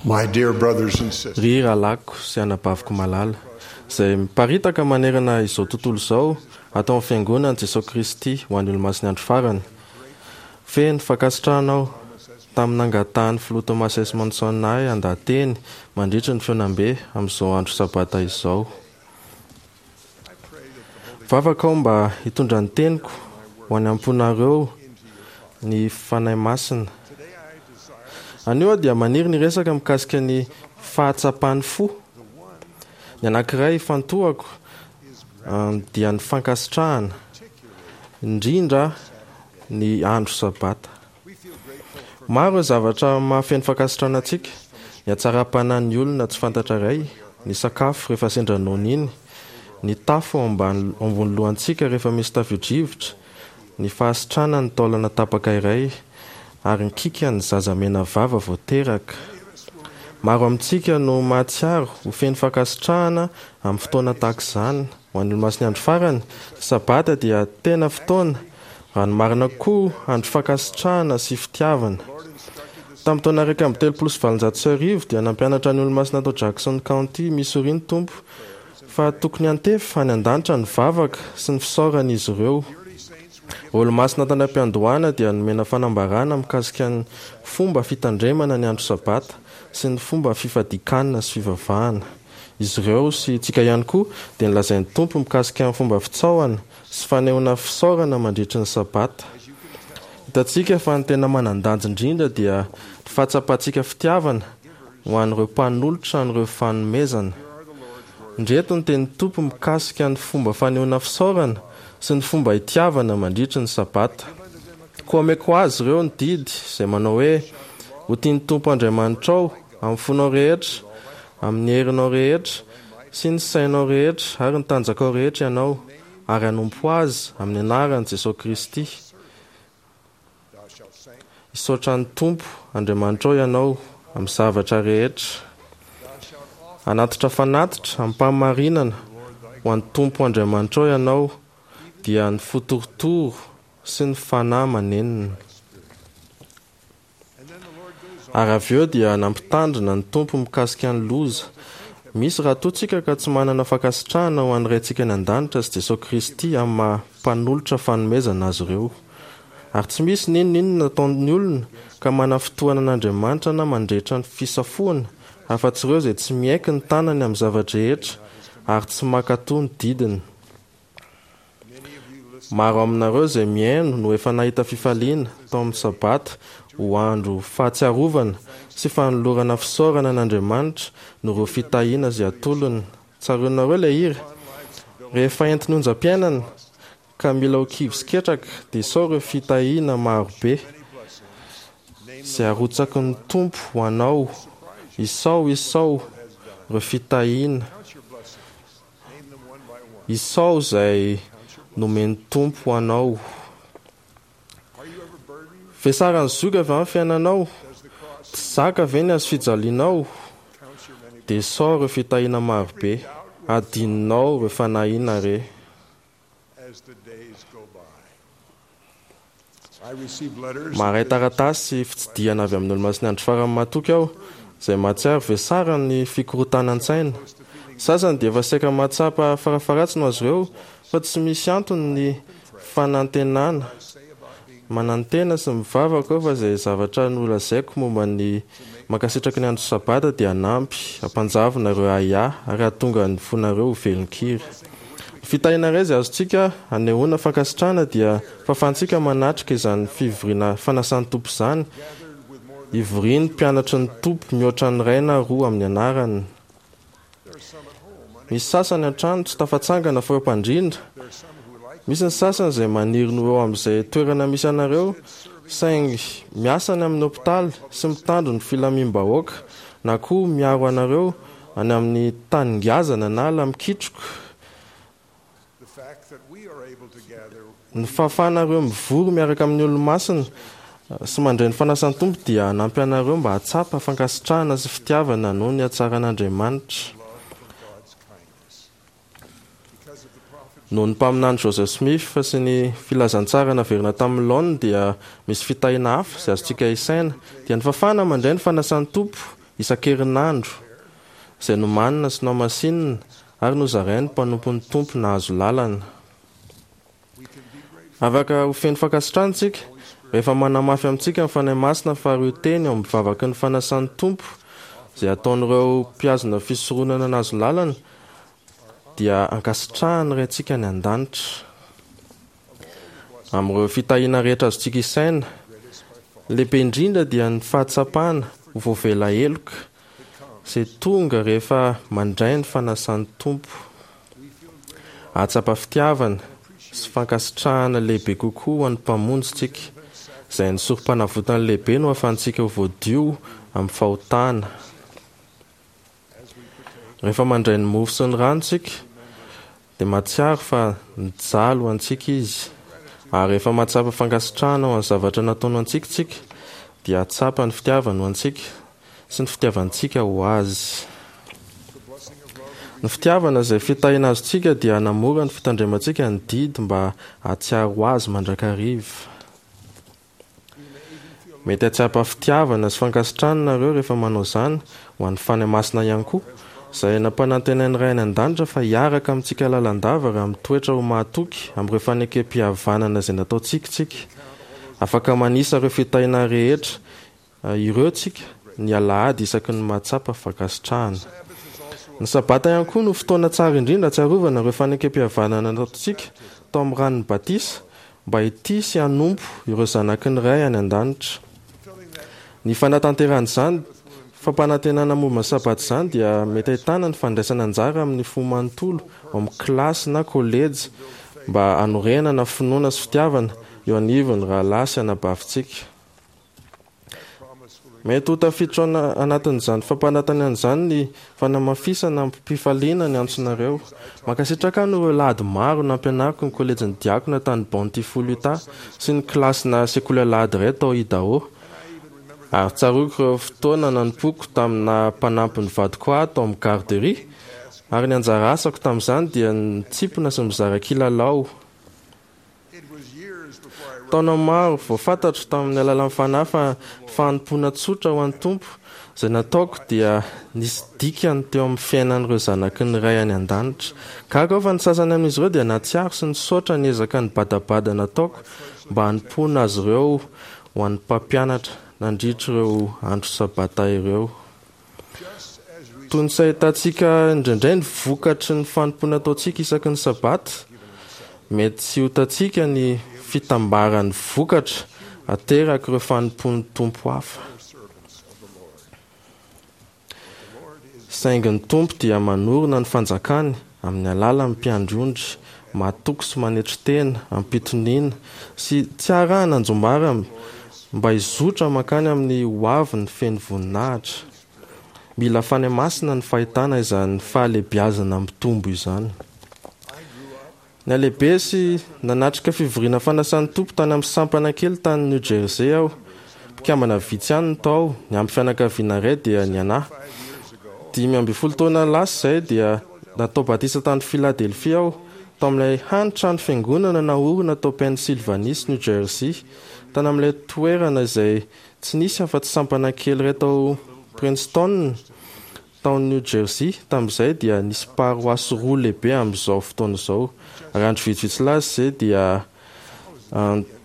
My dear brothers and sisters, Ry rahalahiko sy anabaviko malala, izay miparitaka manerana izao tontolo izao ato amin'ny Fiangonan'i Jesoa Kristy ho an'ny Olomasin'ny Andro Farany, feno fankasitrahana aho tamin'ny nangatahan'ny Filoha Thomas S. Monson ahy handaha-teny mandritry ny fihaonambe amin'izao andro Sabata izao. Mivavaka aho mba hitondra ny teniko ho any am-ponareo ny Fanahy Masina. Anio aho dia maniry ny hiresaka mikasika ny fahatsapan'ny fo. Ny anankiray ifantohako dia ny fankasitrahana, indrindra ny andro Sabata. Maro ireo zavatra mahafeno fankasitrahana antsika, ny hatsaram-panahin'ny olona tsy fantatra iray, ny sakafo rehefa sendra noana iny, ny tafo ao ambany ambony lohantsika rehefa misy tafio-drivotra, ny fahasitranan'ny taolana tapaka iray, ary ny kikan'ny zaza mena vava vao teraka. Maro amintsika no mahatsiaro ho feno fankasitrahana amin'ny fotoana tahaka izany. Ho an'ny Olomasin'ny Andro Farany, ny Sabata dia tena fotoana Raha ny marina koa, andro fankasitrahana sy fitiavana. Tamin'ny taona 1831 dia nampianatra ny Olomasina tao Jackson County, Missouri ny Tompo fa tokony hantefa any an-danitra ny vavaka sy ny fisaoran'izy ireo. Ireo Olomasina tany am-piandohana dia nomena fanambarana mikasika ny fomba fitandremana ny andro Sabata sy ny fomba fifadian-kanina sy fivavahana. Izy ireo, sy isika ihany koa, dia nolazain'ny Tompo mikasika ny fomba fitsaohana sy fanehoana fisaorana mandritry ny Sabata. Hitantsika fa ny tena manan-danja indrindra dia ny fahatsapantsika fitiavana ho an'ireo mpanolotra an'ireo fanomezana. Indreto ny tenin'ny Tompo mikasika ny fomba fanehoana fisaorana sy ny fomba itiavana mandritry ny Sabata. Koa omeko azy ireo ny didy izay manao hoe, Ho tia ny Tompo Andriamanitrao amin'ny fonao rehetra, amin'ny herinao rehetra, sy ny sainao rehetra ary ny tanjakao rehetra ianao, ary hanompo Azy amin'ny anaran'i Jesoa Kristy. Hisaotra ny Tompo Andriamanitrao ianao amin'ny zavatra rehetra. Hanatitra fanatitra amim-pahamarinana ho an'ny Tompo Andriamanitrao ianao, dia ny fo torotoro sy ny fanahy manenina. Ary avy eo dia nampitandrina ny Tompo mikasika ny loza misy raha toa tsika ka tsy manana fankasitrahana ho an'ny Raintsika any An-danitra sy Jesoa Kristy amin'ny maha mpanolotra fanomezana azy ireo. Ary tsy misy n'inon'inona ataon'ny olona ka manafintohana an'Andriamanitra na mandrehitra ny fisafoana afa-tsy ireo izay tsy miaiky ny tanany amin'ny zava-drehetra ary tsy mankatò ny didiny. Maro aminareo izay mihaino no efa nahita fifaliana tao amin'ny Sabata ho andro fahatsiarovana sy fanolorana fisaorana an'Andriamanitra noho ireo fitahiana izay atolony. Tsaroanareo ilay hira? Rehefa entin'ny onjam-piainana ka mila ho kivy sy ketraka dia isao ireo fitahiana maro be izay arotsaky ny Tompo ho anao. Isao, isao ireo fitahiana. Isao izay nomen'ny Tompo ho anao. Vesaran'ny zoky avy amin'ny fiainanao. Tsy zaka ve ny hazofijalianao? Dia isao ireo fitahiana marobe. Hadinonao ireo fanahiana re. Maharay taratasy sy fitsidihana avy amin'ny Olomasin'ny Andro Farany matoky aho, izay mahatsiaro vesaran'ny fikorontanan-tsaina. Ny sasany dia efa saika mahatsapa farafaharatsiny ho azy ireo fa tsy misy antony ny fanantenana. Manantena sy mivavaka aho fa izay zavatra nolazaiko momba ny mankasitraky ny andro Sabata dia hanampy hampanjavona ireo ahiahy ary hahatonga ny fonareo ho velon-kira. Ny fitahiana iray izay azontsika anehoana fankasitrahana dia fahafahantsika manatrika izany fivoriana fanasan'ny Tompo izany, ivorian'ny mpianatry ny Tompo mihoatra ny iray na roa amin'ny anarany. Misy sasany an-trano tsy tafatsangana fa eo am-pandriana. Misy ny sasany izay maniry ny ho eo amin'izay toerana misy anareo, saingy miasa any amin'ny hopitaly sy mitandro ny filamim-bahoaka, na koa miaro anareo any amin'ny tany ngazana na ala mikitroka. Ny fahafahanareo mivory miaraka amin'ny Olomasina sy mandray ny fanasan'ny Tompo dia hanampy anareo mba hahatsapa fankasitrahana sy fitiavana noho ny hatsaran'Andriamanitra. Noho ny mpaminany Joseph Smith sy ny filazantsara naverina tamin'ny laoniny dia misy fitahiana hafa izay azontsika isaina, dia ny fahafahana mandray ny fanasan'ny Tompo. isan-kerinandro izay nomanina sy nohamasinina ary nozarain'ny mpanompon'ny Tompo nahazo lalana. Afaka ho feno fankasitrahana isika rehefa manamafy amintsika ny Fanahy Masina fa ireo teny ao amin'ny vavaky ny fanasan'ny Tompo izay ataon'ireo mpihazona fisoronana nahazo lalana dia ankasitrahan'ny Raintsika any An-danitra. Amin'ireo fitahiana rehetra azontsika isaina, ny lehibe indrindra dia ny fahatsapana ho voavela heloka izay tonga rehefa mandray ny fanasan'ny Tompo. Hahatsapa fitiavana sy fankasitrahana lehibe kokoa ho an'ny Mpamonjy isika, izay ny Sorompanavotany lehibe no ahafahantsika ho voadio amin'ny fahotana. Rehefa mandray ny mofo sy ny rano isika, dia mahatsiaro fa nijaly ho antsika Izy. Ary rehefa mahatsapa fankasitrahana ho an'ny zavatra nataony ho antsika isika, dia hahatsapa ny fitiavany ho antsika sy ny fitiavantsika ho Azy. Ny fitiavana izay fitahiana azontsika dia hanamora ny fitandremantsika ny didy mba hahatsiaro Azy mandrakariva. Mety hahatsapa fitiavana sy fankasitrahana nareo rehefa manao izany, ho an'ny Fanahy Masina ihany koa, izay nampanantenain'ny Ray any An-danitra fa hiaraka amintsika lalandava raha mitoetra ho mahatoky amin'ireo fanekempihavanana izay nataontsika isika. Afaka manisa ireo fitahiana rehetra ireo tsika ny alahady isaky ny mahatsapa fankasitrahana. Ny Sabata ihany koa no fotoana tsara indrindra hahatsiarovana ireo fanekempihavanana nataontsika tao amin'ny ranon'ny batisa mba hitia sy hanompo ireo zanaky ny Ray any An-danitra. Ny fanatanterahana izany fampanantenana momba ny Sabata izany dia mety ahitana ny fandraisana anjara amin'ny fo manontolo ao amin'ny kilasy na kolejy mba hanorenana finoana sy fitiavana eo anivon'ny rahalahy sy anabavintsika. Mety ho tafiditra ao anatin'izany fampanantenana izany ny fanamafisana amim-pifaliana ny antsonareo. Mankasitraka ahy noho ireo lahady maro nampianariko ny kolejin'ny diakona tany Bountiful, Utah, sy ny kilasina sekoly alahady iray tao Idaho. Ary tsaroako ireo fotoana nanompoako tamin'ny naha-mpanampy ny vadiko ahy tao amin'ny garderie, ary ny anjara asako tamin'izany dia ny mitsimpona sy mizara kilalao. Taona maro vao fantatro tamin'ny alalan'ny Fanahy fa ny fanompoana tsotra ho an'ny Tompo izay nataoko dia nisy dikany teo amin'ny fiainan'ireo zanaky ny Ray any An-danitra. Gaga aho fa ny sasany amin'izy ireo dia nahatsiaro sy nisaotra ny ezaka nibadabada nataoko mba hanompoana azy ireo ho an'ny mpampianatra nandritra ireo andro Sabata ireo. Toy ny tsy ahitantsika indraindray ny vokatry ny fanompoana ataontsika isaky ny Sabata, mety tsy ho hitantsika ny fitambaran'ny vokatra aterak'ireo fanompoan'ny Tompo hafa. Saingy ny Tompo dia manorina ny fanjakany amin'ny alalan'ny mpiandry ondry matoky sy manetry tena amim-pitoniana sy tsy arahana anjombara mba hizotra mankany amin'ny hoaviny feno voninahitra. Mila Fanahy Masina ny fahitana izany fahalehibiazana mitombo izany. Nihalehibe sy nanatrika fivoriana fanasan'ny Tompo tany amin'ny sampana kely tany New Jersey aho. Mpikambana vitsy ihany no tao, niampy fianakaviana iray dia ny anà. 15 taona lasa izay dia natao batisa tany Philadelphia aho, tao amin'ilay hany trano fiangonana naorina tao Pennsylvanie sy New Jersey, tany amin'ilay toerana izay tsy nisy afa-tsy sampana kely iray tao Princeton, Tao New Jersey, tamin'izay, dia nisy paroasy roa lehibe amin'izao fotoana izao. Ary andro vitsivitsy lasa izay dia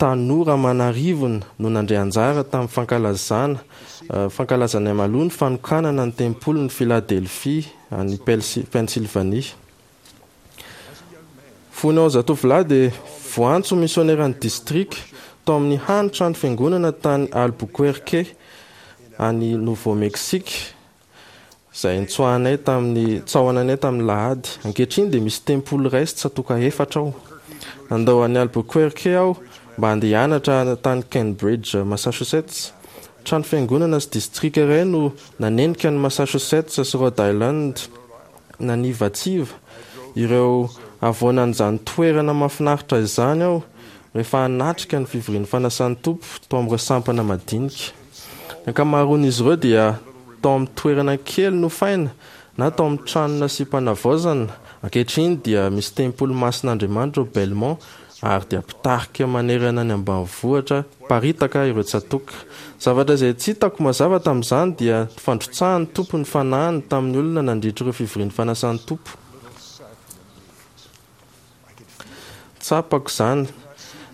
tanora aman'arivony no nandray anjara tamin'ny fankalazana fankalazana mialoha ny fanokanana ny tempolin'i Philadelphie any Pennsylvanie. Fony aho zatovolahy dia voantso ho misioneran'ny distrika tao amin'ny hany trano fiangonana tany Albuquerque, any Nouveau-Mexique, izay nitsoahanay tamin'ny tsaohananay tamin'ny lahady. Ankehitriny dia misy tempoly iray sy tsatòka efatra ao. Nandao an'i Albuquerque aho mba handeha hianatra tany Cambridge, Massachusetts. Trano fiangonana sy distrika iray no nanenika an'i Massachusetts sy Rhode Island. Nanivatsiva ireo havoanan'izany toerana mahafinaritra izany aho rehefa hanatrika ny fivorian'ny fanasan'ny Tompo tao amin'ireo sampana madinika. Ny ankamaroan'izy ireo dia tao amin'ny toerana kely nofaina na tao amin'ny trano nasiam-panavaozana. Ankehitriny dia misy tempoly masin'Andriamanitra ao Belmont, Ary dia mpitarika manerana ny ambanivohitra mparitaka ireo tsatòka. Zavatra izay tsy hitako mazava tamin'izany dia ny fandrotsahan'ny Tompo ny Fanahiny tamin'ny olona nandritra ireo fivorian'ny fanasan'ny Tompo. Tsapako izany.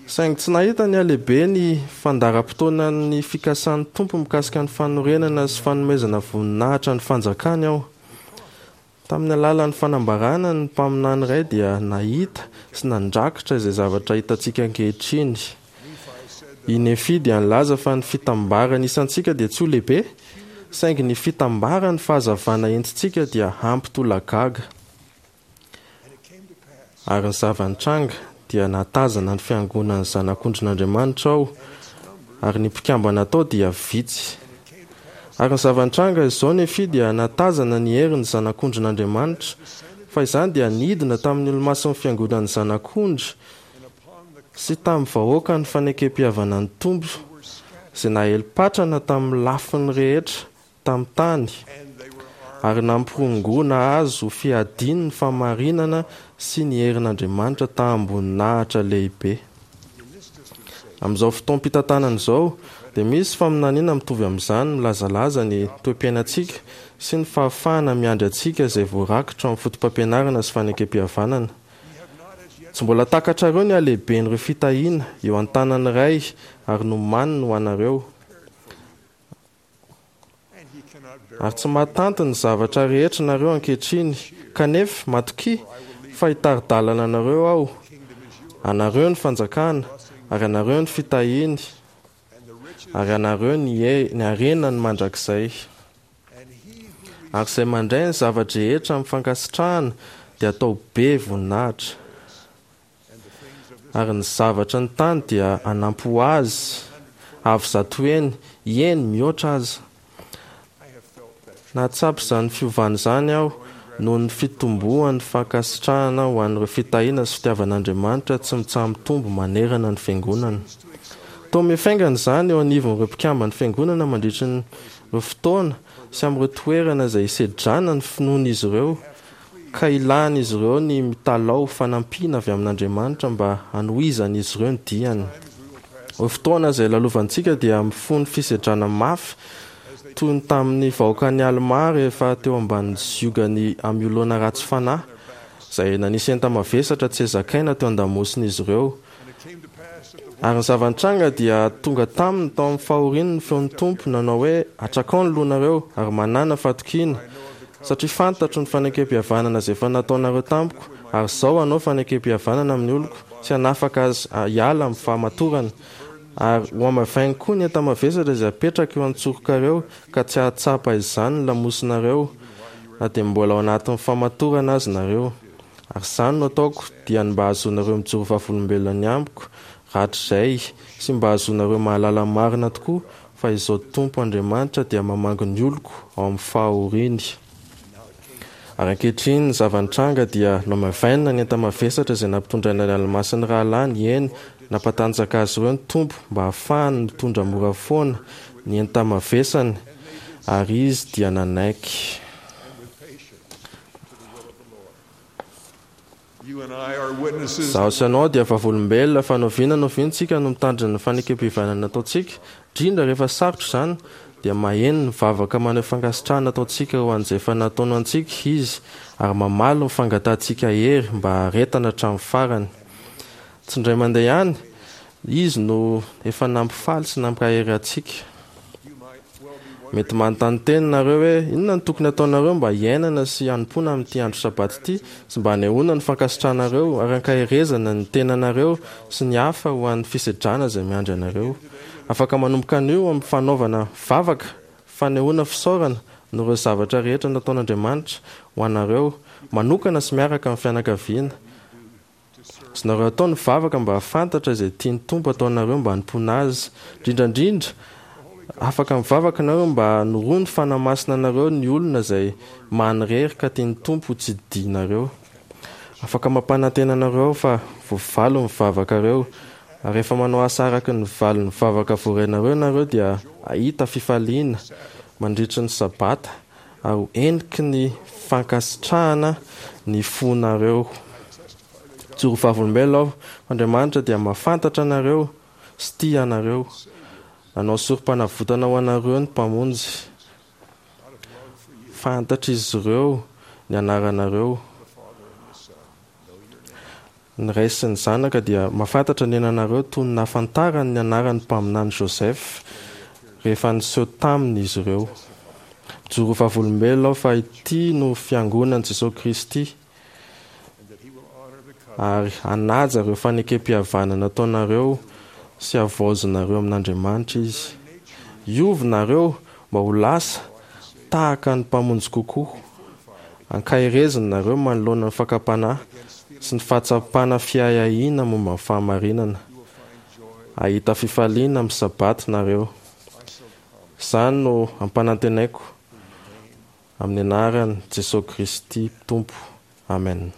Saingy tsy nahita ny halehibe ny fandaharam-potoanan'ny fikasan'ny Tompo mikasika ny fanorenana sy fanomezana voninahitra ny fanjakany aho. Tamin'ny alalan'ny fanambarana, ny mpaminany iray dia nahita sy nandrakitra izay zavatra hitantsika ankehitriny. I Nefia dia nilaza fa ny fitambaran'ny isantsika dia tsy ho lehibe, saingy ny fitambaran'ny fahazavana entintsika dia hampitolagaga. Ary ny zava-nitranga, dia nahatazana ny fiangonan'ny Zanak'ondrin'Andriamanitra aho, ary ny mpikambana tao dia vitsy. Ary ny zava-nitranga, izao Nefia dia nahatazana ny herin'ny Zanak'ondrin'Andriamanitra, fa izany dia nidina tamin'ny olomasin'ny fiangonan'ny Zanak'ondry sy tamin'ny vahoakan'ny fanekempihavanan'ny Tompo, izay naely-patrana tamin'ny lafiny rehetra tamin'ny tany, ary nampirongoana azy ho fiadiany ny fahamarinana sy ny herin'Andriamanitra taham-boninahitra lehibe. Amin'izao fotoam-pitantanana izao, dia misy faminaniana mitovy amin'izany milazalaza ny toe-piainantsika sy ny fahafahana miandry antsika izay voarakitra ao amin'ny Fotopampianarana sy Fanekempihavanana. Tsy mbola takatrareo ny halehiben'ireo fitahiana eo an-tanan'ny Ray ary nomaniny ho anareo. Ary tsy mahatanty ny zavatra rehetra nareo ankehitriny, kanefa matokia fa hitari-dalana anareo Aho. Anareo ny fanjakana, ary anareo ny fitahiany, ary anareo ny ny harenany mandrakizay. Ary izay mandray ny zava-drehetra amin'ny fankasitrahana dia atao be voninahitra. Ary ny zavatry ny tany dia hanampy ho azy avo zatoheny, eny, mihoatra aza. Nahatsapa izany fiovana izany aho noho ny fitomboan'ny fankasitrahana ho an'ireo fitahiana sy fitiavan'Andriamanitra tsy mitsaha-mitombo manerana ny Fiangonana. Toa mifaingana izany eo anivon'ireo mpikamban'ny Fiangonana mandritry ny ireo fotoana sy amin'ireo toerana izay isedrana ny finoan'izy ireo ka ilan'izy ireo ny mitalaho fanampiana avy amin'Andriamanitra mba hanohizan'izy ireo ny diany. Ireo fotoana izay lalovantsika dia mifono fisedrana mafy toy ny tamin'ny vahoakan'i Almà rehefa teo ambanin'ny ziogan'i Amiolona ratsy fanahy, izay nanisy enta-mavesatra tsy zakaina teo an-damosin'izy ireo. Ary ny zava-nitranga dia tonga taminy tao amin'ny fahoriany ny feon'ny Tompo, nanao hoe, Atrakao ny lohanareo, ary manàna fatokiana, satria fantatro ny fanekempihavanana izay efa nataonareo tamiko, ary izao hanao fanekempihavanana amin'ny oloko, sy hanafaka azy hiala amin'ny fahamatorana, ary hohamavainiko koa ny enta-mavesatra izay apetrako eo an-tsorokareo, ka tsy hahatsapa izany ny lamosinareo, na dia mbola ao anatin'ny fahamatorana aza nareo. Ary izany no ataoko, dia ny mba hahazoanareo mijoro vavolombelona ny amiko rahatrizay, sy mba hahazoanareo mahalala marina tokoa fa Izaho Tompo Andriamanitra dia mamangy ny oloko ao amin'ny fahoriany. Ary ankehitriny ny zava-nitranga dia nohamavainina ny enta-mavesatra izay nampitondraina ny Almà sy ny rahalahiny, eny, nampatanjaka azy ireo ny Tompo mba hahafahany mitondra mora foana ny enta-mavesany, ary izy dia nanaiky. Izaho sy ianao dia vavolombelona fa n'oviana n'oviana isika no mitandrina ny fanekempihavanana ataontsika, indrindra rehefa sarotra izany, dia maheno ny vavaka maneho fankasitrahana ataontsika ho an'izay efa nataony ho antsika Izy ary mamaly ny fangatahantsika hery mba haharetana hatramin'ny farany. Tsy indray mandeha ihany Izy no efa nampifaly sy nampahery antsika. Mety manontany tena nareo hoe inona no tokony hataonareo mba hiainana sy hanompoana amin'ity andro Sabata ity sy mba hanehoana ny fankasitranareo ary hankaherezana ny tenanareo sy ny hafa ho an'ny fisedrana izay miandry anareo. Afaka manomboka anio amin'ny fanaovana vavaka fanehoana fisaorana noho ireo zavatra rehetra nataon'Andriamanitra ho anareo manokana sy miaraka amin'ny fianakaviana. Azonareo atao ny vavaka mba hahafantatra izay tian'ny Tompo ataonareo mba hanompoana Azy. Indrindra indrindra, afaka mivavaka nareo mba hanoroa ny Fanahy Masina anareo ny olona izay manirery ka tian'ny Tompo ho tsidihinareo. Afaka mampanantena anareo aho fa voavaly ny vavakareo, ary rehefa manao asa araka ny valin'ny vavaka voarainareo ianareo dia hahita fifaliana mandritry ny Sabata ary ho heniky ny fankasitrahana ny fonareo. Mijoro vavolombelona aho fa Andriamanitra dia mahafantatra anareo sy tia anareo. Nanao sorom-panavotana ho anareo ny Mpamonjy. Fantatr'izy ireo ny anaranareo. Ny Ray sy ny Zanaka dia mahafantatra ny ananareo toy ny nahafantarany ny anaran'ny Mpaminany Joseph rehefa niseho taminy izy ireo. Mijoro ho vavolombelona aho fa ity no Fiangonan'i Jesoa Kristy ary hanaja ireo fanekempihavanana nataonareo sy havaozinareo amin'Andriamanitra Izy. Hiova nareo mba ho lasa tahaka ny Mpamonjy kokoa. Ankahereziny nareo manoloana ny fakam-panahy sy ny fahatsapana fiahiahiana momba ny fahamarinana. Hahita fifaliana amin'ny Sabata nareo. Izany no ampanantenaiko amin'ny anaran'i Jesoa Kristy Tompo. Amen.